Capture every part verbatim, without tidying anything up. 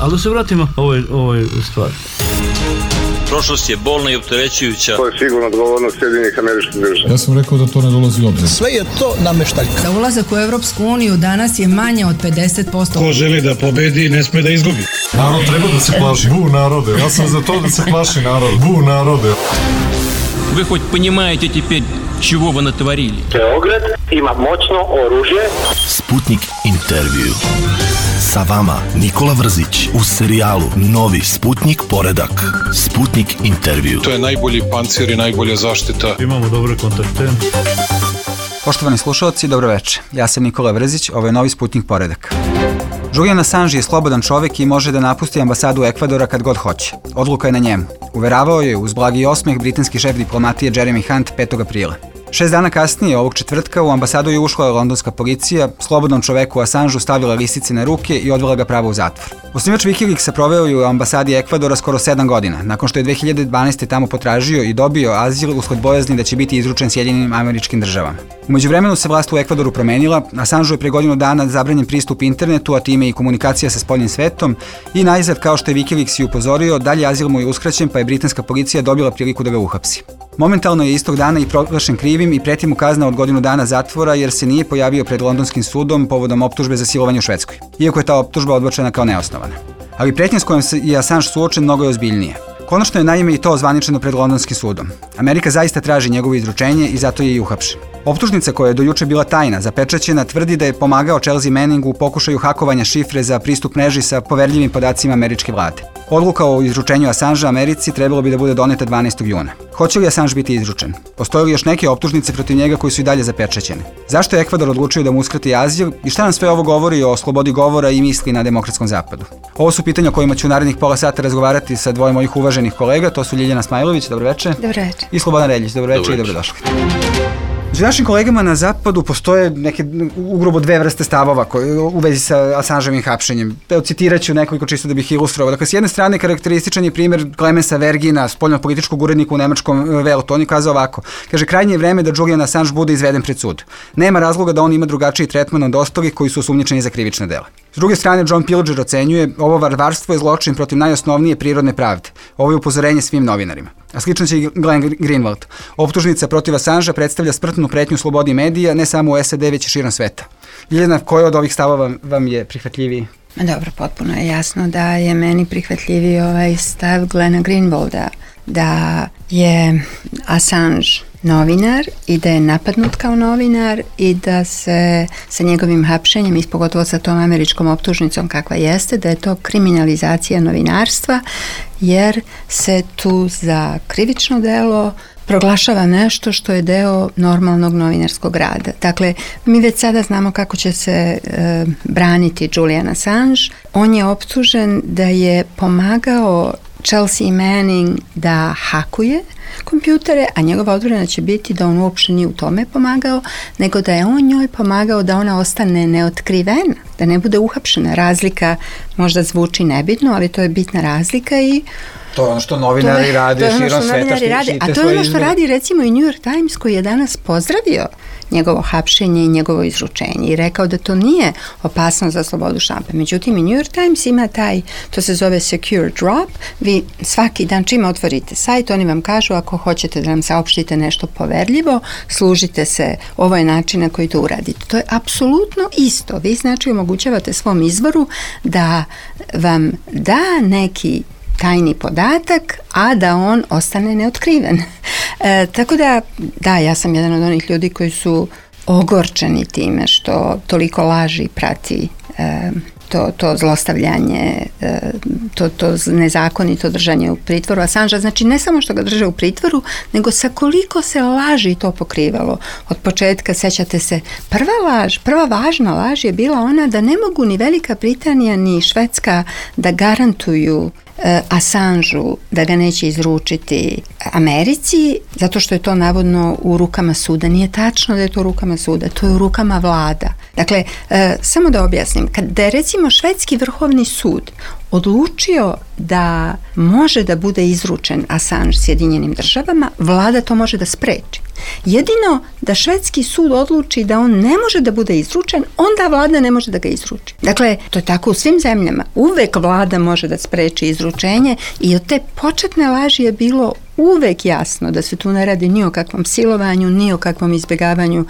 Ali da se vratimo ovoj, ovoj stvari. Prošlost je bolna i opterećujuća. To je sigurno odgovornost Sjedinjenih Američkih Država. Ja sam rekao da to ne dolazi u obzir. Sve je to nameštaljka. Za ulazak u Evropsku uniju danas je manje od pedeset posto. Ko želi da pobedi, ne sme da izgubi. Narod treba da se plaši. Bu narode. Ja sam za to da se plaši narod. Bu narode. Вы хоть понимаете теперь, чего вы натворили? Beograd ima moćno oružje. Sputnik intervju. Sa vama Nikola Vrzić u serijalu Novi Sputnik poredak. Sputnik intervju. To je najbolji pancir i najbolja zaštita. Imamo dobre kontakte. Poštovani slušalci, dobro večer. Ja sam Nikola Vrzić, ovo je Novi Sputnik poredak. Julian Assange je slobodan čovjek i može da napusti ambasadu Ekvadora kad god hoće. Odluka je na njemu. Uveravao je uz blagi osmeh britanski šef diplomatije Jeremy Hunt petog aprila. Šest dana kasnije, ovog četvrtka, u ambasadu je ušla londonska policija, slobodnom čoveku Assangeu stavila lisice na ruke i odvela ga pravo u zatvor. Osnivač Wikileaksa proveo je u ambasadi Ekvadora skoro sedam godina, nakon što je dve hiljade dvanaeste. tamo potražio i dobio azil usled bojazni da će biti izručen Sjedinjenim Američkim Državama. U međuvremenu se vlast u Ekvadoru promenila, Assangeu je pre godinu dana zabranjen pristup internetu, a time i komunikacija sa spoljnim svetom, i najzad, kao što je Wikileaks i upozorio, dalje azil mu je uskraćen, pa je britanska policija dobila priliku da ga uhapsi. Momentalno je istog dana i proglašen krivim i preti mu kazna od godinu dana zatvora jer se nije pojavio pred londonskim sudom povodom optužbe za silovanje u Švedskoj, iako je ta optužba odbačena kao neosnovana. Ali pretnja s kojom je Assange suočen mnogo je ozbiljnije. Konačno je naime i to ozvaničeno pred londonskim sudom. Amerika zaista traži njegovo izručenje i zato je i uhapšen. Optužnica koja je do juče bila tajna, zapečaćena, tvrdi da je pomagao Chelsea Manningu u pokušaju hakovanja šifre za pristup mreži sa poverljivim podacima američke vlade. Odluka o izručenju Assangea Americi trebalo bi da bude doneta dvanaestog juna. Hoće li Assange biti izručen? Postoje li još neke optužnice protiv njega koji su i dalje zapečaćene? Zašto je Ekvador odlučio da mu uskrati azil i šta nam sve ovo govori o slobodi govora i misli na demokratskom zapadu? Ovo su pitanja o kojima ću u narednih pola sata razgovarati sa dvoje mojih uvaženih kolega, to su Ljiljana Smajlović, dobro večer. Dobro večer. I Slobodan Reljić, dobro večer i dobrodošli. Među našim kolegama na zapadu postoje neke ugrubo dve vrste stavova koje, u vezi sa Assangeovim hapšenjem. Evo, citirat ću nekoliko čisto da bih ilustrovao. Dakle, s jedne strane karakterističan je primjer Clemensa Vergina, spoljnopolitičkog urednika u nemačkom Weltu. On je kazao ovako, kaže, krajnje je vreme da Julian Assange bude izveden pred sud. Nema razloga da on ima drugačiji tretman od ostalih koji su osumnjičeni za krivična dela. S druge strane, John Pilger ocenjuje, ovo varvarstvo je zločin protiv najosnovnije prirodne pravde. Ovo je upozorenje svim novinarima. A slično će i Glenn Greenwald. Optužnica protiv Assangea predstavlja smrtnu pretnju slobodi medija, ne samo u S A D, već i širom sveta. Ljiljana, koji od ovih stavova vam je prihvatljiviji? Dobro, potpuno je jasno da je meni prihvatljiviji ovaj stav Glena Greenwalda, da je Assange novinar i da je napadnut kao novinar i da se sa njegovim hapšenjem i pogotovo sa tom američkom optužnicom kakva jeste, da je to kriminalizacija novinarstva jer se tu za krivično delo proglašava nešto što je deo normalnog novinarskog rada. Dakle, mi već sada znamo kako će se e, braniti Julian Assange. On je optužen da je pomagao Chelsea Manning da hakuje kompjutere, a njegova odbrana će biti da on uopšte nije u tome pomagao, nego da je on njoj pomagao da ona ostane neotkrivena, da ne bude uhapšena. Razlika možda zvuči nebitno, ali to je bitna razlika i to je ono što novinari rade širom sveta. A to je ono što radi recimo i New York Times koji je danas pozdravio njegovo hapšenje i njegovo izručenje i rekao da to nije opasno za slobodu štampe. Međutim, i New York Times ima taj, to se zove secure drop, vi svaki dan čim otvorite sajt, oni vam kažu ako hoćete da nam saopštite nešto poverljivo, služite se, ovo je način na koji to uradite. To je apsolutno isto. Vi znači omogućavate svom izvoru da vam da neki tajni podatak, a da on ostane neotkriven. E, tako da, da, ja sam jedan od onih ljudi koji su ogorčeni time što toliko laži prati e, to, to zlostavljanje, e, to, to nezakonito držanje u pritvoru Assangea. Znači, ne samo što ga drže u pritvoru, nego sa koliko se laži to pokrivalo. Od početka, sećate se, prva laž, prva važna laž je bila ona da ne mogu ni Velika Britanija ni Švedska da garantuju Assangeu da ga neće izručiti Americi, zato što je to navodno u rukama suda. Nije tačno da je to u rukama suda, to je u rukama vlada. Dakle, e, samo da objasnim, kad da je recimo recimo švedski vrhovni sud odlučio da može da bude izručen Assange Sjedinjenim državama, vlada to može da spreči. Jedino da švedski sud odluči da on ne može da bude izručen, onda vlada ne može da ga izruči. Dakle, to je tako u svim zemljama. Uvek vlada može da spreči izručenje i od te početne laži je bilo uvek jasno da se tu ne radi ni o kakvom silovanju, ni o kakvom izbjegavanju,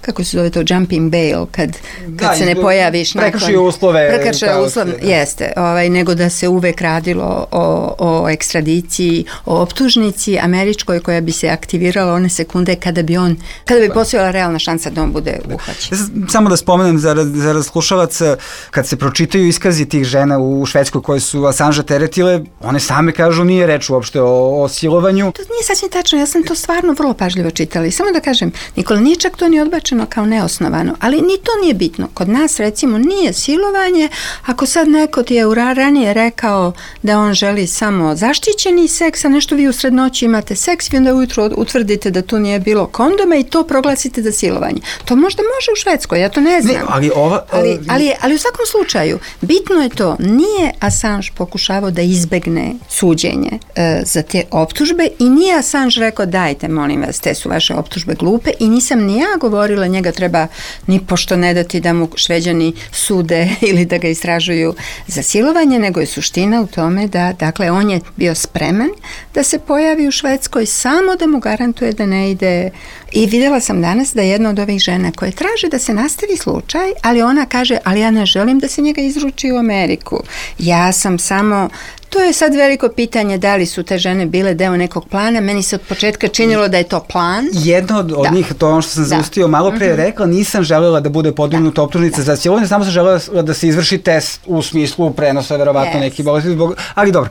kako se zove to, jumping bail, kad, kad da, se ne pojaviš nakon... Prekršio uslove. Prekršio uslove, jeste, ovaj, nego da se uvek radilo o, o ekstradiciji, o optužnici američkoj koja bi se aktivirala one sekunde kada bi on, kada bi postojala realna šansa da on bude uhvaćen. Samo da spomenem za, za slušalaca, kad se pročitaju iskazi tih žena u Švedskoj koje su Assange teretile, one same kažu nije reč uopšte o, o silovanju. To nije sasvim tačno, ja sam to stvarno vrlo pažljivo čitala i samo da kažem, Nikola, nije čak to ni odbačeno kao neosnovano, ali ni to nije bitno. Kod nas recimo nije silovanje, ako sad neko ti je ranije rekao da on želi samo zaštićeni seks, a nešto vi u srednoći imate seks, vi onda ujutro utvrdite da tu nije bilo kondoma i to proglasite za silovanje. To možda može u Švedskoj, ja to ne znam. Ne, ali, ova, ali, ali, ali u svakom slučaju, bitno je to, nije Assange pokušavao da izbegne suđenje e, za te optužbe i nije Assange rekao dajte molim vas, te su vaše optužbe glupe i nisam ni ja govorila njega treba ni pošto ne dati da mu Šveđani sude ili da ga istražuju za silovanje, nego je suština u tome da, dakle, on je bio spreman da se pojavi u Švedskoj samo da mu garantuje da ne ide. I vidjela sam danas da jedna od ovih žena koje traže da se nastavi slučaj, ali ona kaže, ali ja ne želim da se njega izruči u Ameriku. Ja sam samo... To je sad veliko pitanje da li su te žene bile deo nekog plana. Meni se od početka činilo da je to plan. Jedna od, od da. njih, to ono što sam zaustio malo pre, mm-hmm. rekla, nisam želela da bude podignuta optužnica za silovanje, samo sam želela da se izvrši test u smislu prenosa, verovatno yes. neki bolesti. Zbog... Ali dobro,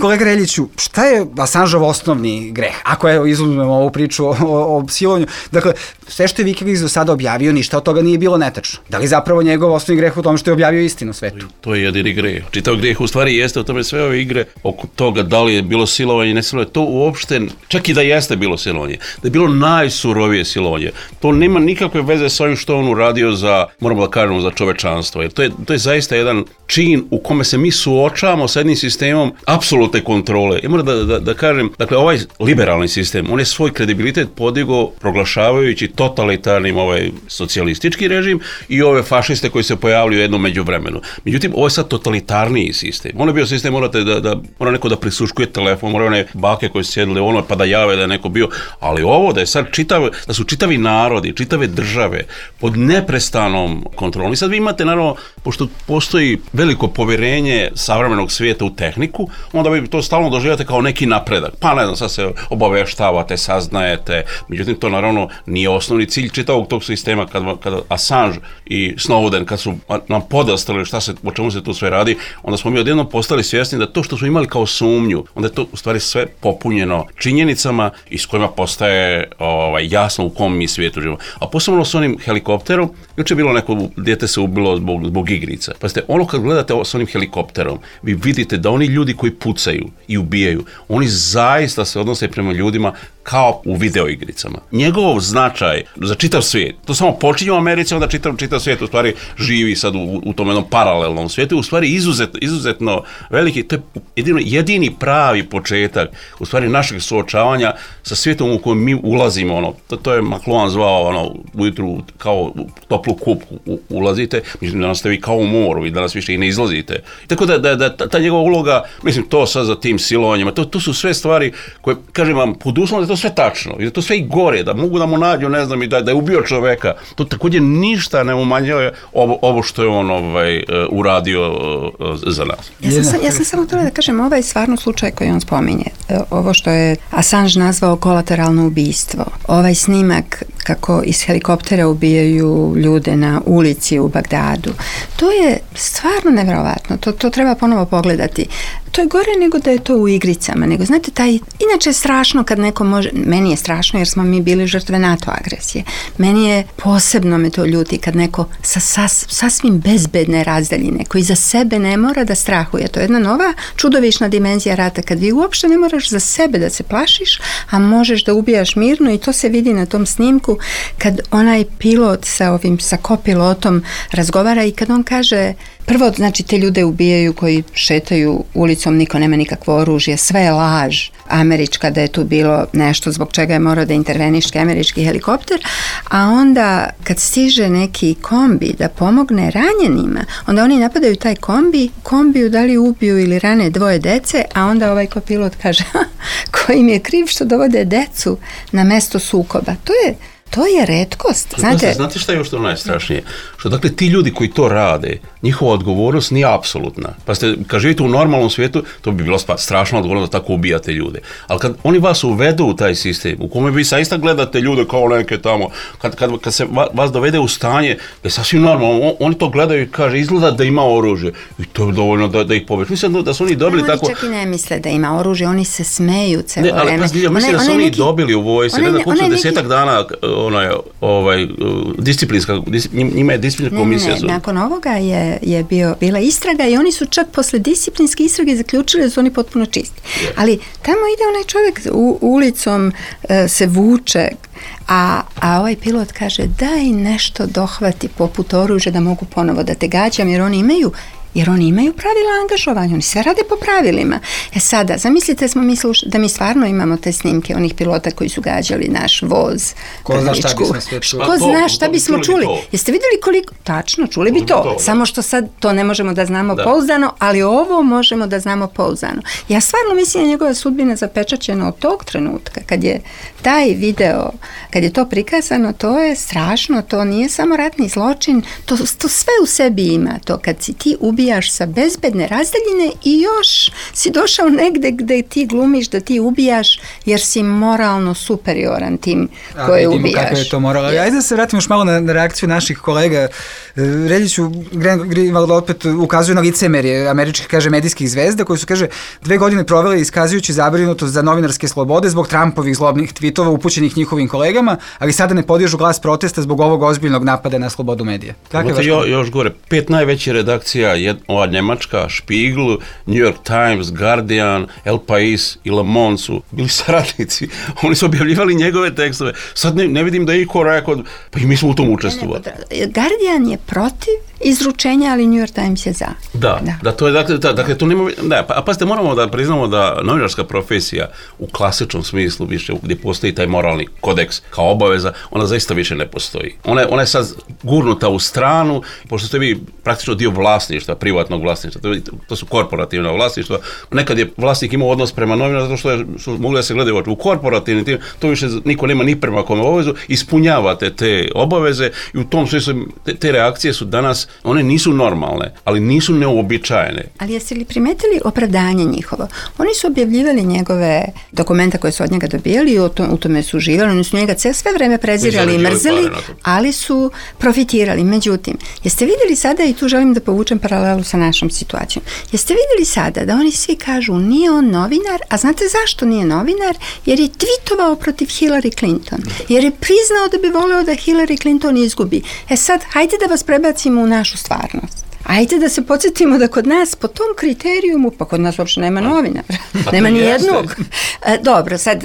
kolega Reljiću, šta je Assangeov osnovni greh? Ako je, izuzmemo ovu priču o, o, o silovanju, dakle, sve što je Wikileaks do sada objavio, ništa od toga nije bilo netačno. Da li zapravo njegov osnovni greh u tom što je objavio istinu svetu? To je jedini greh. Čitav greh u stvari jeste u tome sve ove igre oko toga da li je bilo silovanje i ne silovanje, to uopšte, čak i da jeste bilo silovanje, da je bilo najsurovije silovanje, to nema nikakve veze s ovim što on uradio za, moramo da kažemo, za čovečanstvo, jer to je, to je zaista jedan čin u kome se mi suočavamo sa jednim sistemom apsolutne kontrole. Ja moram da, da, da kažem, dakle, ovaj liberalni sistem, on je svoj kredibilitet podigao proglašavajući totalitarnim ovaj socijalistički režim i ove fašiste koji se pojavljaju u jednom međuvremenu. Međutim, ovo je sad totalitarniji sistem. On je bio sistem, morate da, da mora neko da prisluškuje telefon, mora one bake koje su sjedile ono pa da jave da je neko bio, ali ovo da je sad čitav, da su čitavi narodi, čitave države pod neprestanom kontrolom. I sad vi imate, naravno, pošto postoji veliko povjerenje savremenog svijeta u tehniku, onda vi to stalno doživljate kao neki napredak. Pa ne znam, sad se obaveštavate, saznajete, međutim to naravno nije osnovni cilj čitavog tog sistema. Kada, kada Assange i Snowden, kad su nam podastrali šta se, o čemu se tu sve radi, onda smo mi odjednom postali svjesni da to što smo imali kao sumnju, onda je to u stvari sve popunjeno činjenicama i s kojima postaje ovaj, jasno u kom mi svijetu živimo. A posebno s onim helikopterom, juče je bilo neko dijete se ubilo zbog, zbog igrica. Pa ste, ono kad gledate s onim helikopterom, vi vidite da oni ljudi koji pucaju i ubijaju, oni zaista se odnose prema ljudima kao u videoigricama. Njegov značaj za čitav svijet, to samo počinje u Americi, onda čitav, čitav svijet u stvari živi sad u, u tom jednom paralelnom svijetu, u stvari izuzetno, izuzetno veliki, to je jedino, jedini pravi početak u stvari našeg suočavanja sa svijetom u kojem mi ulazimo, ono, to, to je McLuhan zvao, ono, ujutru kao u toplu kupku u, ulazite, mislim, danas ste vi kao u moru i danas više i ne izlazite. Tako da, da, da ta, ta njegova uloga, mislim, to sad za tim silovanjima, to, to su sve stvari koje, kažem vam, pod uslovom da je to sve tačno i da to sve i gore, da mogu da mu nađu, ne znam, i da, da je ubio čoveka, to također ništa ne umanjuje ovo, ovo što je on ovaj, uh, uradio uh, za nas. Ja sam, ja sam samo htjela da kažem, ovaj stvarno slučaj koji on spominje, ovo što je Assange nazvao kolateralno ubijstvo, ovaj snimak kako iz helikoptera ubijaju ljude na ulici u Bagdadu, to je stvarno nevjerovatno, to, to treba ponovo pogledati. To je gore nego da je to u igricama, nego znate, taj, inače je strašno kad neko može, meni je strašno jer smo mi bili žrtve NATO agresije, meni je posebno me to ljuti kad neko sa sas, sasvim bezbedne razdaljine, koji za sebe ne mora da strahuje, to je jedna nova čudovišna dimenzija rata, kad vi uopšte ne moraš za sebe da se plašiš, a možeš da ubijaš mirno i to se vidi na tom snimku snimku kad onaj pilot sa ovim, sa kopilotom razgovara i kad on kaže, prvo, znači te ljude ubijaju koji šetaju ulicom, niko nema nikakvo oružje, sve je laž američka da je tu bilo nešto zbog čega je morao da interveniše američki helikopter, a onda kad stiže neki kombi da pomogne ranjenima, onda oni napadaju taj kombi, kombiju da li ubiju ili rane dvoje dece, a onda ovaj kopilot kaže ko im je kriv što dovode decu na mesto sukoba. To je To je retkost. Znate, znate šta je još to najstrašnije? Što dakle ti ljudi koji to rade, njihova odgovornost nije apsolutna. Pa ste, kad živite u normalnom svijetu, to bi bilo strašno odgovorno da tako ubijate ljude. Ali kad oni vas uvedu u taj sistem, u kome vi saista gledate ljude kao neke tamo, kad, kad, kad se vas dovede u stanje, je sasvim normalno, on, oni to gledaju i kaže, izgleda da ima oružje. I to je dovoljno da, da ih pobiješ. Mislim da su oni dobili oni tako... Oni čak i ne misle da ima oružje, oni se smeju celo vreme. Ne, ali pa, ja mislim da su oni neki... dobili u vojsci, ne znam koliko desetak dana onaj, ovaj, disciplinska, njima je disciplinska komisija. Ne, ne, nakon ovoga je, je bio, bila istraga i oni su čak posle disciplinske istrage zaključili da su oni potpuno čisti. Yeah. Ali tamo ide onaj čovjek u, ulicom, e, se vuče, a, a ovaj pilot kaže daj nešto dohvati poput oružja da mogu ponovo da te gađam, jer oni imaju jer oni imaju pravila angažovanja, oni sve rade po pravilima. E sada, zamislite smo mi sluš, da mi stvarno imamo te snimke onih pilota koji su gađali naš voz. Ko zna šta bismo sve čuli? Ko zna šta bismo čuli? Jeste vidjeli koliko? Tačno, čuli bi to. Samo što sad to ne možemo da znamo da. pouzdano, ali ovo možemo da znamo pouzdano. Ja stvarno mislim da njegova sudbina zapečaćena od tog trenutka, kad je taj video, kad je to prikazano, to je strašno, to nije samo ratni zločin, to, to sve u sebi ima, to kad si ti ubi ubijaš sa bezbedne razdaljine i još si došao negde gde ti glumiš da ti ubijaš jer si moralno superioran tim koje ubijaš. Vidimo kako je to moralo. Yes. Ajde da se vratimo još malo na, na reakciju naših kolega. Reljiću, Greenwald opet ukazuje na licemerje američkih, kaže, medijskih zvezda koji su, kaže, dve godine provele iskazujući zabrinutost za novinarske slobode zbog Trumpovih zlobnih tvitova upućenih njihovim kolegama, ali sada ne podižu glas protesta zbog ovog ozbiljnog napada na slobodu medija. Tako je jo, još gore, pet najvećih redakcija, jed, ova Njemačka, Spiegel, New York Times, Guardian, El Pais i Le Monde su bili saradnici. Oni su objavljivali njegove tekstove. Sad ne, ne vidim da je iko rekao, pa i mi smo u tom učestvovali. Guardian je protiv izručenja, ali New York Times je za. Da, da, da to je, dakle, da, dakle, to nema, da, pa, a pazite, moramo da priznamo da novinarska profesija u klasičnom smislu više, gdje postoji taj moralni kodeks kao obaveza, ona zaista više ne postoji. Ona je, ona je sad gurnuta u stranu, pošto ste vi praktično dio vlasništva, privatnog vlasništva, to, to su korporativna vlasništva. Nekad je vlasnik imao odnos prema novinarima zato što je, su mogli da se gledaju u korporativnim tim, to više niko nema ni prema kome obavezu, ispunjavate te obaveze i u tom smislu te, te reakcije su danas, one nisu normalne, ali nisu neuobičajene. Ali jeste li primetili opravdanje njihovo? Oni su objavljivali njegove dokumenta koje su od njega dobijali i u tome su živjeli, oni su njega sve vreme prezirali i mrzeli, ali su profitirali. Međutim, jeste vidjeli sada, i tu želim da povučem paralelu sa našom situacijom, jeste vidjeli sada da oni svi kažu nije on novinar, a znate zašto nije novinar? Jer je tweetovao protiv Hillary Clinton. Jer je priznao da bi voleo da Hillary Clinton izgubi. E sad, hajde da vas prebacimo u našu stvarnost. Ajde da se podsjetimo da kod nas po tom kriterijumu, pa kod nas uopšte nema novinara, nema ni jednog. Dobro, sad,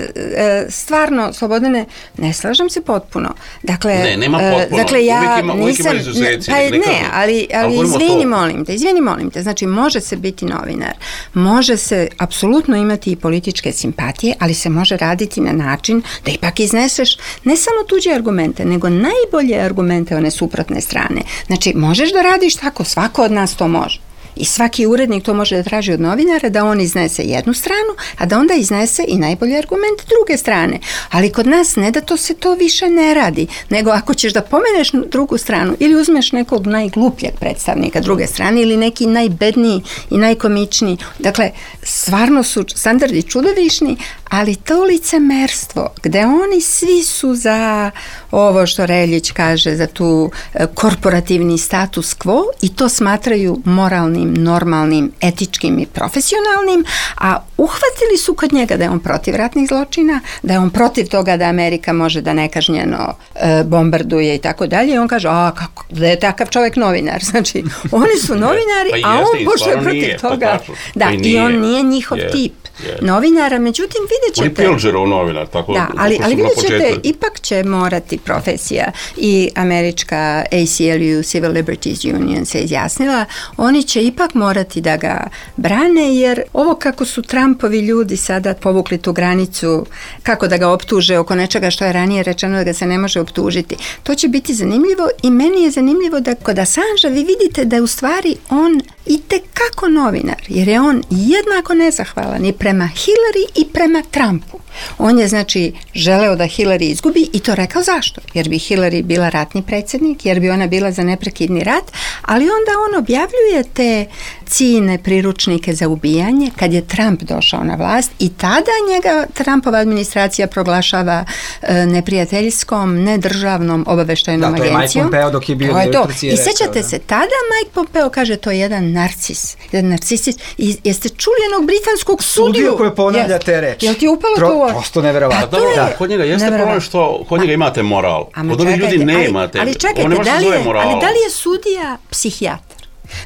stvarno, Slobodane, ne slažem se potpuno. Dakle, ne, nema potpuno. Dakle, ja uvijek ima, uvijek nisam, ima izuzeci. Pa ne, ali, ali izvini, molim te, izvini, molim te, znači, može se biti novinar, može se apsolutno imati i političke simpatije, ali se može raditi na način da ipak izneseš ne samo tuđe argumente, nego najbolje argumente one suprotne strane. Znači, možeš da radiš tako, svako Ko od nas to može. I svaki urednik to može da traži od novinara da on iznese jednu stranu, a da onda iznese i najbolji argument druge strane. Ali kod nas ne da to se to više ne radi, nego ako ćeš da pomeneš drugu stranu ili uzmeš nekog najglupljeg predstavnika druge strane ili neki najbedniji i najkomičniji. Dakle, stvarno su standardi čudovišni, ali to licemerstvo gde oni svi su za ovo što Reljić kaže, za tu korporativni status quo i to smatraju moralnim, normalnim, etičkim i profesionalnim, a uhvatili su kod njega da je on protiv ratnih zločina, da je on protiv toga da Amerika može da nekažnjeno e, bombarduje i tako dalje. I on kaže, a kako, da je takav čovjek novinar. Znači, oni su novinari, pa a jeste, on pošto je protiv nije, toga. Pa da, pa i on nije njihov je, tip je. novinara. Međutim, vidjet ćete... On je Pilgerov novinar, tako da, ali, tako ali su na vidjet ćete, početku. ipak će morati profesija i američka A C L U, Civil Liberties Union, se izjasnila, oni će ipak morati da ga brane, jer ovo kako su Trumpovi ljudi sada povukli tu granicu, kako da ga optuže oko nečega što je ranije rečeno da ga se ne može optužiti, to će biti zanimljivo i meni je zanimljivo da kod Assangea vi vidite da je u stvari on i tekako novinar, jer je on jednako nezahvalan i prema Hillary i prema Trumpu. On je znači želeo da Hillary izgubi i to rekao zašto? Jer bi Hillary bila ratni predsjednik, jer bi ona bila za neprekidni rat, ali onda on objavljuje te ciljne priručnike za ubijanje kad je Trump došao na vlast i tada njega Trumpova administracija proglašava e, neprijateljskom, nedržavnom obaveštajnom agencijom. Da, to je Mike Pompeo dok je bio direktor C I A. I sećate se, tada Mike Pompeo kaže to je jedan narcis, jedan narcisist. I jeste čuli jednog britanskog sudiju? Sudiju koji ponavlja te reči. Jel ti upalo Pro, to? Prosto neverovatno. Pa dobro, da. Kod njega jeste problem što kod njega imate moral. Kod ovih ljudi nemate. Ali čekajte, da li, je, ali da li je sudija psihijatar?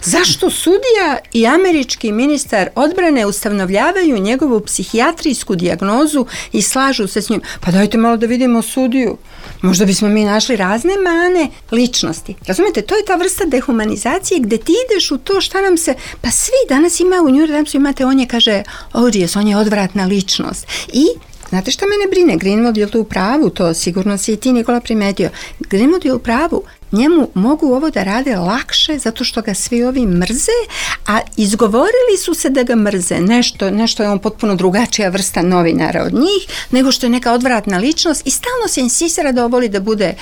Zašto sudija i američki ministar odbrane ustanovljavaju njegovu psihijatrijsku dijagnozu i slažu se s njim? Pa dajte malo da vidimo sudiju. Možda bismo mi našli razne mane ličnosti. Razumete, to je ta vrsta dehumanizacije gde ti ideš u to šta nam se... Pa svi danas ima u New York Timesu imate, on je kaže, odious, on je odvratna ličnost. I znate šta mene brine? Greenwald je to u pravu, to sigurno si i ti, Nikola, primetio. Greenwald je u pravu. Njemu mogu ovo da rade lakše zato što ga svi ovi mrze, a izgovorili su se da ga mrze. Nešto, nešto je on potpuno drugačija vrsta novinara od njih, nego što je neka odvratna ličnost i stalno se insistira da on voli da bude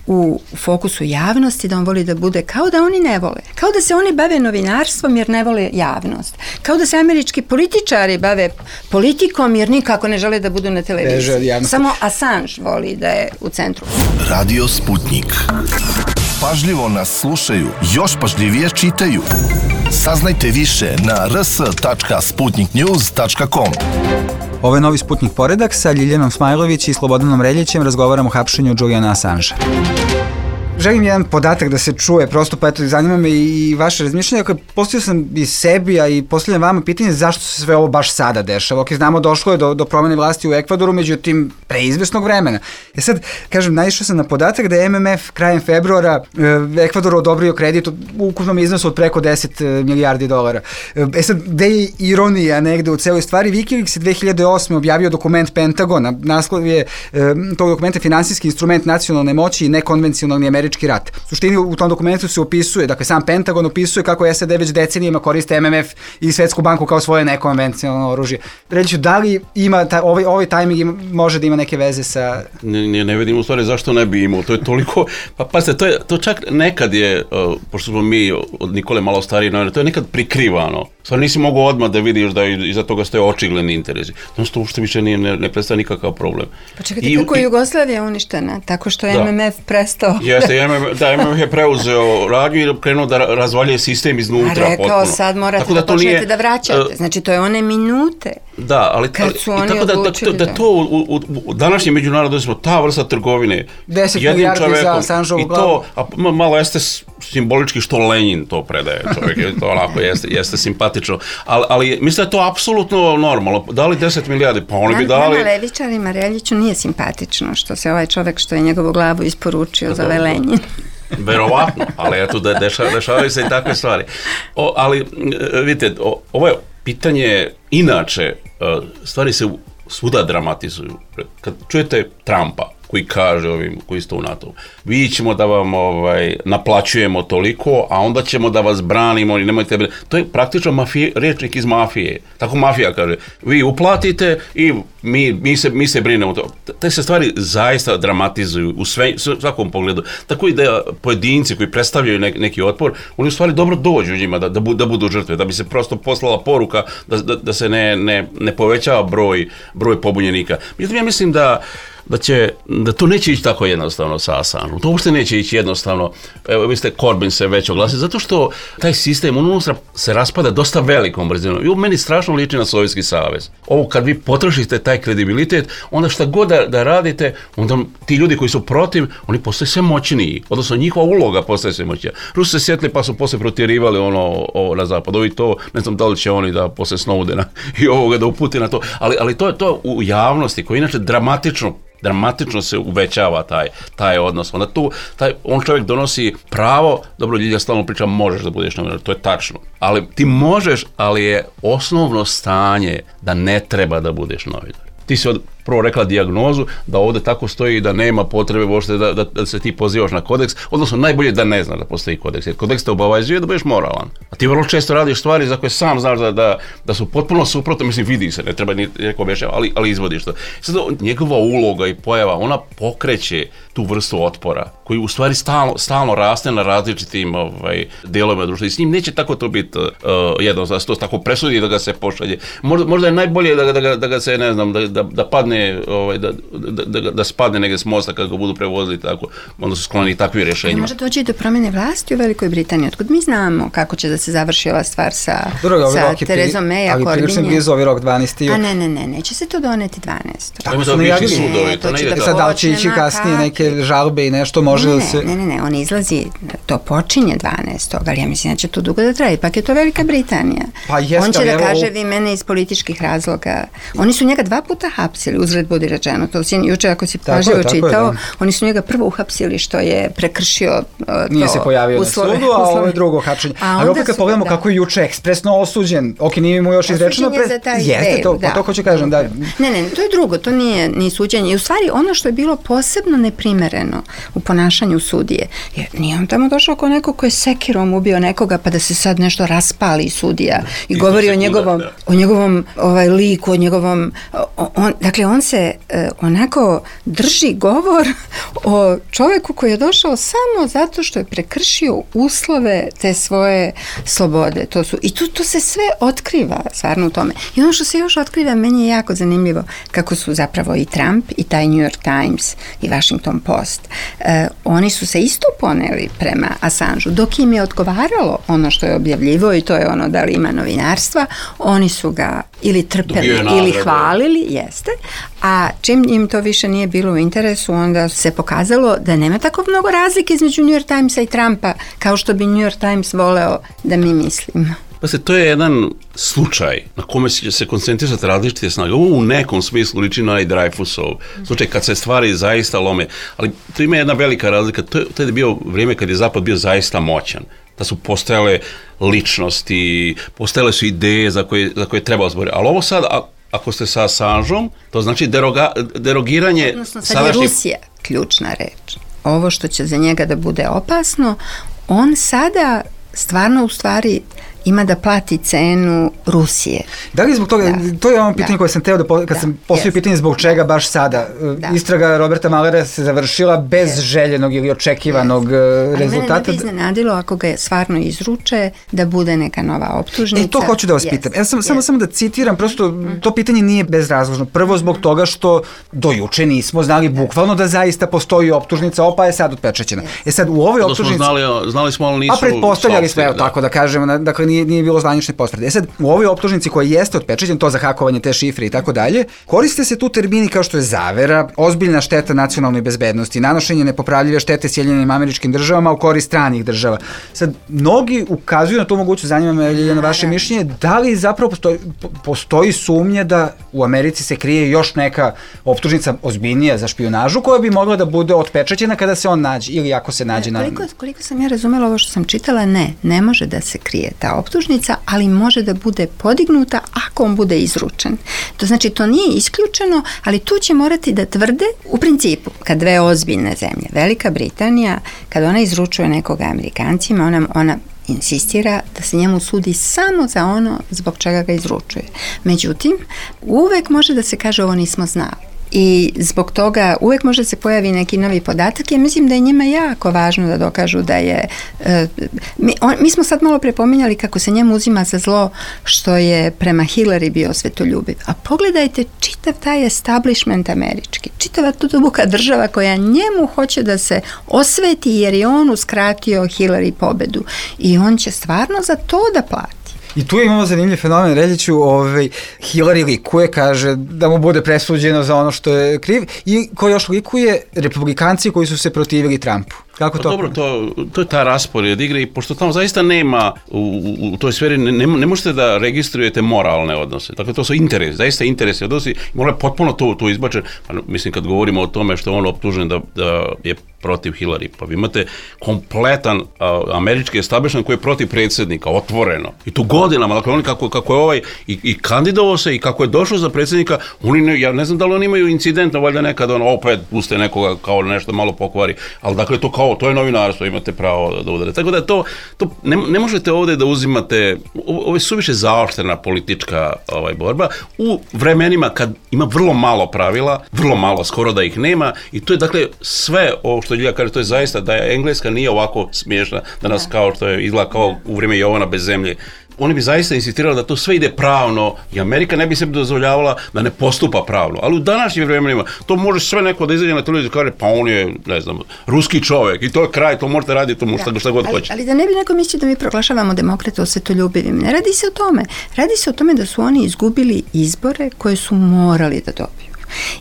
u fokusu javnosti, da on voli da bude kao da oni ne vole. Kao da se oni bave novinarstvom jer ne vole javnost. Kao da se američki političari bave politikom jer nikako ne žele da budu na televiziji. Samo Assange voli da je u centru. Radio Sputnik. Pažljivo nas slušaju, još pažljivije čitaju. Saznajte više na r s tačka sputnik news tačka com. Ovo je novi Sputnik poredak sa Ljiljanom Smajlović i Slobodanom Reljićem. Razgovaramo o hapšenju Juliana Assangea. Želim jedan podatak da se čuje, prosto pa eto, zanima me i vaše razmišljanje. Postavio sam i sebi, a i postavljam vama pitanje zašto se sve ovo baš sada dešava. Ok, znamo, došlo je do, do promene vlasti u Ekvadoru, međutim, preizvesnog vremena. E sad, kažem, naišao sam na podatak da je M M F krajem februara e, Ekvadoru odobrio kredit u ukupnom iznosu od preko deset milijardi dolara. E sad, gde je ironija negde u celoj stvari? Wikileaks je dve hiljade osme objavio dokument Pentagona. Naslov je e, tog dokumenta finansijski instrument nacionalne moći i nekonvencionalni američki rat. U suštini u tom dokumentu se opisuje, dakle sam Pentagon opisuje kako S A D već decenijama koriste M M F i Svetsku banku kao svoje nekonvencionalno oružje. Reći, da li ima ta, ovaj, ovaj tajming može da ima neke veze sa... Ne, ne vidim u stvari zašto ne bi imao. To je toliko... Pa pazite, to, je, to čak nekad je, uh, pošto smo mi od Nikole malo stariji, to je nekad prikrivano. Stvarno nisi mogao odmah da vidiš da iza toga stoje očigledni interesi. Znači to uopšte više nije, ne, ne predstavlja nikakav problem. Pa čekajte, I, kako je Jugoslavija uništena? Tako što je da. M M F prestao... Jeste, M M F, da, M M F je preuzeo radnju i krenuo da razvaljuje sistem iznutra. A rekao, potpuno. Sad morate tako da, da počnete nije, da vraćate. Znači to je one minute. Da, ali, ali tako da, da, da, da to u, u, u današnjem međunarodu smo ta vrsta trgovine deset milijardi za Assangea i to, a malo jeste simbolički što Lenin to predaje čovjek, to onako jeste, jeste simpatično, ali, ali mislim da je to apsolutno normalno. Dali deset milijardi, pa oni bi dali... Nama levičarima Reljiću nije simpatično što se ovaj čovjek što je njegovu glavu isporučio zove Lenin. Verovatno, ali eto da deša, dešavaju se i takve stvari. O, ali vidite, o, ovo je pitanje, inače stvari se svuda dramatizuju. Kad čujete Trumpa koji kaže ovim koji ste u NATO, vi ćemo da vam ovaj, naplaćujemo toliko, a onda ćemo da vas branimo i nemojte... To je praktično mafije, rečnik iz mafije. Tako mafija kaže. Vi uplatite i mi, mi, se, mi se brinemo to. Te se stvari zaista dramatizuju u sve, svakom pogledu. Tako i da pojedinci koji predstavljaju ne, neki otpor, oni u stvari dobro dođu njima da, da, bu, da budu žrtve, da bi se prosto poslala poruka da, da, da se ne, ne, ne povećava broj, broj pobunjenika. Međutim, ja mislim da da će, da to neće ići tako jednostavno sa Assangeom. To uopšte neće ići jednostavno. Evo, vi ste, Corbyn se već oglasio, zato što taj sistem unutra se raspada dosta velikom brzinom. I u meni strašno liči na Sovjetski savez. Ovo kad vi potrošite taj kredibilitet, onda šta god da, da radite, onda ti ljudi koji su protiv, oni postaju sve moćniji. Odnosno njihova uloga postaje sve moćnija. Rusi se sjetili pa su posle protjerivali ono, ovo na zapadu i to, ne znam da li će oni da posle Snowdena i ovoga da upute na to, ali, ali to je to u javnosti koji inače dramatično dramatično se uvećava taj, taj odnos. Onda tu taj, on čovjek donosi pravo, dobro, Ljilja stalno priča možeš da budeš novinar, to je tačno, ali ti možeš, ali je osnovno stanje da ne treba da budeš novinar. Ti si od, prvo rekla dijagnozu, da ovdje tako stoji da nema potrebe uopšte da, da, da se ti pozivaš na kodeks, odnosno najbolje da ne znaš da postoji kodeks, jer kodeks te obavezuje da budeš moralan. A ti vrlo često radiš stvari za koje sam znaš da, da, da su potpuno suprotne, mislim vidi se, ne treba ni neko objašnjava, ali, ali izvodiš to. Sad, njegova uloga i pojava, ona pokreće tu vrstu otpora, koji u stvari stalno, stalno raste na različitim ovaj, delovima društva i s njim neće tako to biti uh, jedno, da se to tako presudi da ga se pošalje. Možda, možda je najbolje da, da, da ga se, ne znam, da, da, da padne, ovaj, da, da, da, da spadne negdje s mosta kad ga budu prevozili tako, onda su skloni takvi rješenjima. Može doći do promjene vlasti u Velikoj Britaniji, otkud mi znamo kako će da se završi ova stvar sa, Drugo, sa Terezom May, ali prilično blizu ovaj rok dvanaesti. A ne, ne, ne, neće se to doneti dvanaestog. Tako su najavili sudovi, to ne ide tako. Sad da li će ići kasnije neke žalbe i nešto može ne, da se... Ne, ne, ne, on izlazi, to počinje dvanaestog, ali ja mislim da će to dugo da traje, ipak je to Velika Britanija. Pa jest, on će da evo... kaže vi mene iz političkih razloga. Oni su njega dva puta hapsili, uzred budi rečeno, to si juče ako si pažljivo čitao, je, oni su njega prvo uhapsili što je prekršio uh, to. Nije se pojavio uslove, na sudu, a ovo je drugo hapšenje. Ali opet kad pogledamo da. Kako je juče ekspresno osuđen, ok, nije mu još izrečeno, pre... jeste to, da. Pa to hoću kažem, da. Ne, ne, to je drugo, to nije ni suđenje. I u stvari ono što je bilo posebno neprimereno u ponašanju sudije, jer nije on tamo došao kao neko ko je sekirom ubio nekoga pa da se sad nešto raspali sudija i Isto govori o njegovom, da. o njegovom ovaj, liku, o njegovom, on, dakle on se uh, onako drži govor o čovjeku koji je došao samo zato što je prekršio uslove te svoje slobode. To su, i tu, tu se sve otkriva stvarno u tome. I ono što se još otkriva, meni je jako zanimljivo kako su zapravo i Trump i taj New York Times i Washington Post, uh, oni su se isto poneli prema Assangeu. Dok im je odgovaralo ono što je objavljivo i to je ono da li ima novinarstva, oni su ga ili trpeli ili hvalili, jeste, a čim im to više nije bilo u interesu, onda se pokazalo da nema tako mnogo razlike između New York Timesa i Trumpa kao što bi New York Times voleo da mi mislimo. Pa se, to je jedan slučaj na kome će se koncentrisati različite snage. Ovo u nekom smislu liči na i Dreyfusov slučaj kad se stvari zaista lome. Ali to ima jedna velika razlika. To je, to je bio vrijeme kad je Zapad bio zaista moćan. Da su postojale ličnosti, postojale su ideje za koje, za koje treba zboriti. Ali ovo sad, a, ako ste sa Assangeom, to znači deroga, derogiranje... Odnosno, sad sadašnji... je Rusija ključna reč. Ovo što će za njega da bude opasno, on sada stvarno u stvari ima da plati cenu Rusije. Da li zbog toga, da. To je ono pitanje da. Koje sam teo da, po, kad da. sam postavio yes. pitanje zbog čega baš sada. Da. Istraga Roberta Muellera se završila bez yes. željenog ili očekivanog yes. rezultata. Ali mene ne bi iznenadilo ako ga je stvarno izruče da bude neka nova optužnica. E, to hoću da vas yes. pitam. Ja sam, yes. samo, samo da citiram, prosto mm. to pitanje nije bezrazložno. Prvo zbog mm. toga što do juče nismo znali bukvalno da zaista postoji optužnica, opa je sad otpečaćena. Yes. E sad u ovoj optužnici... Znali, znali smo, ali nisu... A pretpostavljali smo, evo, tako da kažemo, dakle Nije, nije bilo zvanične potvrde. E sad, u ovoj optužnici koja jeste otpečaćena, to za hakovanje te šifre i tako dalje, koriste se tu termini kao što je zavera, ozbiljna šteta nacionalnoj bezbednosti, nanošenje nepopravljive štete Sjedinjenim Američkim Državama u korist stranih država. Sad, mnogi ukazuju na tu moguću, zanima me, Ljiljana, vaše mišljenje, da li zapravo postoji, postoji sumnja da u Americi se krije još neka optužnica ozbiljnija za špijunažu koja bi mogla da bude otpečaćena kada se on nađe ili ako se nađe na... Koliko, koliko sam ja razumela ovo što sam čitala, ne, ne može da se krije ta optužnica, ali može da bude podignuta ako on bude izručen. To znači, to nije isključeno, ali tu će morati da tvrde, u principu, kad dve ozbiljne zemlje, Velika Britanija, kad ona izručuje nekoga Amerikancima, ona, ona insistira da se njemu sudi samo za ono zbog čega ga izručuje. Međutim, uvek može da se kaže ovo nismo znali. i zbog toga uvek može se pojavi neki novi podatak. Ja mislim da je njima jako važno da dokažu da je... E, mi, on, mi smo sad malo prepominjali kako se njemu uzima za zlo što je prema Hillary bio svetoljubiv. A pogledajte čitav taj establishment američki, čitava tu duboka država koja njemu hoće da se osveti jer je on uskratio Hillary pobedu. I on će stvarno za to da plati. I tu imamo zanimljiv fenomen, Reljiću, ovaj, Hillary likuje, kaže da mu bude presuđeno za ono što je kriv i ko još likuje republikanci koji su se protivili Trumpu. Kako to? Pa dobro, to, to je ta raspored igre i pošto tamo zaista nema u, u, u toj sferi, ne, ne, ne možete da registrujete moralne odnose. Dakle, to su interesi, zaista interesi odnosi i mora potpuno to, to izbačen. Pa, mislim, kad govorimo o tome što je on optužen da, da je protiv Hillary, pa vi imate kompletan a, američki establishment koji je protiv predsjednika, otvoreno. I to godinama, dakle, oni kako, kako je ovaj i, i kandidovao se i kako je došao za predsjednika, oni ne, ja ne znam da li oni imaju incident, valjda nekad on opet puste nekoga kao nešto malo pokvari, ali dakle, to kao to je novinarstvo, imate pravo da udare. Tako da to, to ne, ne možete ovdje da uzimate, ovo je suviše zaoštrena politička ovaj, borba u vremenima kad ima vrlo malo pravila, vrlo malo, skoro da ih nema i to je dakle sve ovo što Ljilja kaže, to je zaista da je Engleska nije ovako smiješna danas kao što je izgleda kao u vrijeme Jovana bez zemlje. Oni bi zaista insistirali da to sve ide pravno i Amerika ne bi se dozvoljavala da ne postupa pravno. Ali u današnjim vremenima to može sve neko da izađe na televiziju i kaže pa on je, ne znam, ruski čovjek i to je kraj, to možete raditi, to možete šta god hoće. Ali, ali da ne bi neko mislio da mi proglašavamo demokrate osvetoljubivim, ne radi se o tome. Radi se o tome da su oni izgubili izbore koje su morali da dobiju.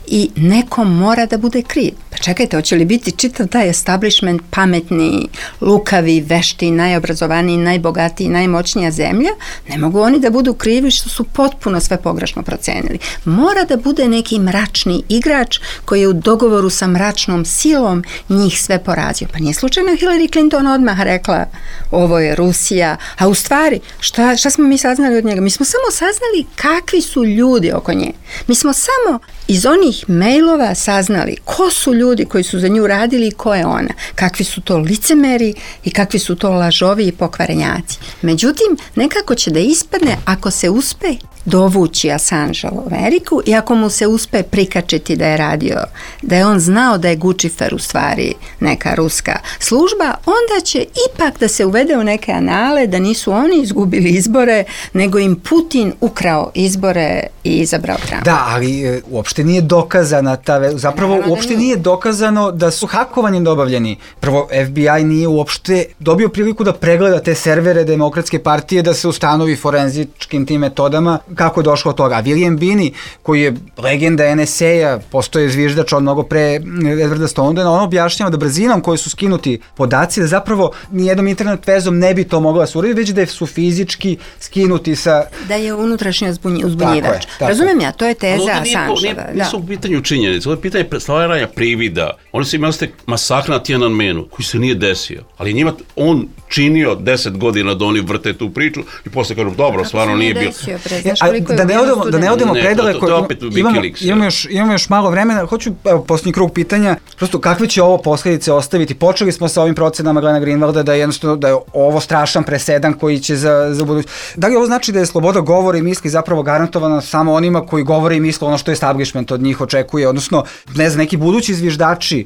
I neko mora da bude kriv. Pa čekajte, hoće li biti čitav taj establishment pametni, lukavi, vešti, najobrazovaniji, najbogatiji, najmoćnija zemlja? Ne mogu oni da budu krivi što su potpuno sve pogrešno procenili. Mora da bude neki mračni igrač koji je u dogovoru sa mračnom silom njih sve porazio. Pa nije slučajno Hillary Clinton odmah rekla ovo je Rusija, a u stvari šta, šta smo mi saznali od njega? Mi smo samo saznali kakvi su ljudi oko nje. Mi smo samo iz onih mailova saznali ko su ljudi koji su za nju radili i ko je ona. Kakvi su to licemeri i kakvi su to lažovi i pokvarenjaci. Međutim, nekako će da ispadne ako se uspe dovući Assange u Ameriku i ako mu se uspe prikačiti da je radio, da je on znao da je Guccifer u stvari neka ruska služba, onda će ipak da se uvede u neke anale da nisu oni izgubili izbore, nego im Putin ukrao izbore i izabrao Trumpa. Da, ali e, uopšte nije dokazana ta, zapravo Naravno uopšte nije. nije dokazano da su hakovanjem dobavljeni. Prvo, F B I nije uopšte dobio priliku da pregleda te servere Demokratske partije, da se ustanovi forenzičkim tim metodama kako je došlo od toga. A William Binney, koji je legenda N S A-a, postoje zviždač od mnogo pre Edwarda Snowdena, on objašnjava da brzinom koji su skinuti podaci, da zapravo nijednom internet vezom ne bi to mogla se uraditi, već da su fizički skinuti sa... Da je unutrašnji uzbunjivač. Razumijem ja, to je teza Assange-eva. Da. Nisu u pitanju činjenice, ovo je pitanje stvaranja privida. Oni su imali ste masakr na Tiananmenu, koji se nije desio, ali njima on činio deset godina da oni vrte tu priču i posle kažu, dobro, stvarno nije bilo. Da ne odemo, da ne odemo predaleko, imamo, imamo, još, imamo još malo vremena, hoću, evo, posljednji krug pitanja, prosto kakve će ovo posljedice ostaviti? Počeli smo sa ovim procenama Glena Greenwalda da je jednostavno, da je ovo strašan presedan koji će za, za budućnost. Da li ovo znači da je sloboda govora i misli zapravo garantovana samo onima koji govore i misle ono što je establishment od njih očekuje, odnosno, ne znam, neki budući zviždači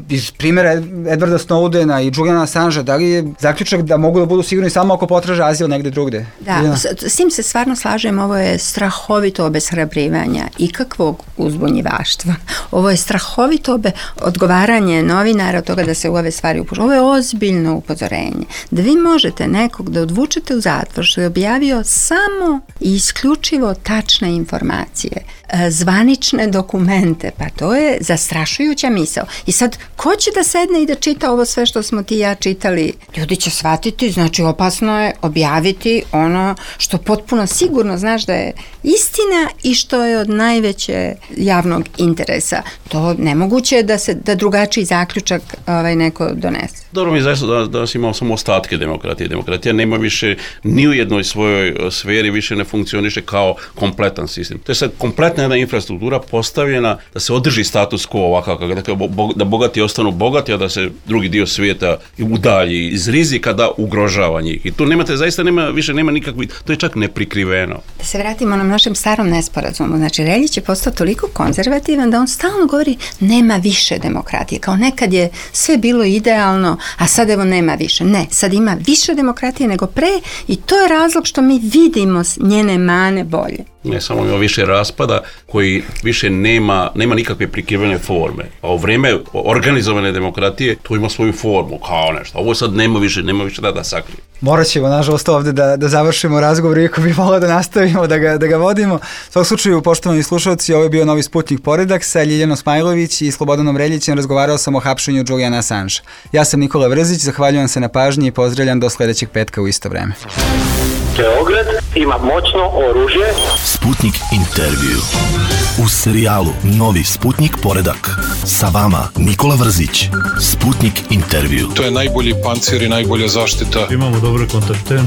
iz primjera Edwarda Snowdena i Juliana Assange, da li je zaključak da mogu da budu sigurni samo ako potraže azil negde drugde? Da, s, s tim se stvarno slažem, ovo je strahovito obeshrabrivanja i kakvog uzbunjivaštva. Ovo je strahovito obe, odgovaranje novinara od toga da se u ove stvari upušu. Ovo je ozbiljno upozorenje. Da vi možete nekog da odvučete u zatvor što je objavio samo i isključivo tačne informacije, zvanične dokumente, pa to je zastrašujuća misao. I sad, ko će da sedne i da čita ovo sve što smo ti i ja čitali? Ljudi će shvatiti, znači opasno je objaviti ono što potpuno sigurno znaš da je istina i što je od najveće javnog interesa. To nemoguće je da se da drugačiji zaključak ovaj, neko donese. Dobro mi je zaista da danas imamo samo ostatke demokratije. Demokratija nema više ni u jednoj svojoj sferi, više ne funkcioniše kao kompletan sistem. To je sad kompletna jedna infrastruktura postavljena da se održi status quo ovakav, dakle, da bogati ostanu bogati, a da se drugi dio svijeta udalji iz rizika da ugrožava njih. I tu nemate, zaista nema, više nema nikakvi, to je čak neprikriveno. Da se vratimo na našem starom nesporazumu. Znači, Reljić je postao toliko konzervativan da on stalno govori nema više demokratije. Kao nekad je sve bilo idealno, a sad evo nema više. Ne, sad ima više demokratije nego pre i to je razlog što mi vidimo njene mane bolje. Ne samo ima više raspada koji više nema, nema nikakve prikrivene forme. A u vrijeme organizovane demokratije to ima svoju formu, kao nešto. Ovo sad nema više, nema više da da sakrije. Morat ćemo, nažalost, ovdje da, da završimo razgovor, iako bi mogla da nastavimo, da ga, da ga vodimo. U svakom slučaju, poštovani slušalci, ovo je bio Novi Sputnik Poredak sa Ljiljanom Smajlović i Slobodanom Reljićem. Razgovarao sam o hapšenju Juliana Assange. Ja sam Nikola Vrzić, zahvaljujem se na pažnji i pozdravljam do sljedećeg petka u isto vreme. Beograd ima moćno oružje. Sputnik intervju. U serijalu Novi Sputnik Poredak. Sa vama Nikola Vrzić. Sputnik intervju. To je najbolji pancir i najbolja zaštita. Imamo dobre kontakte.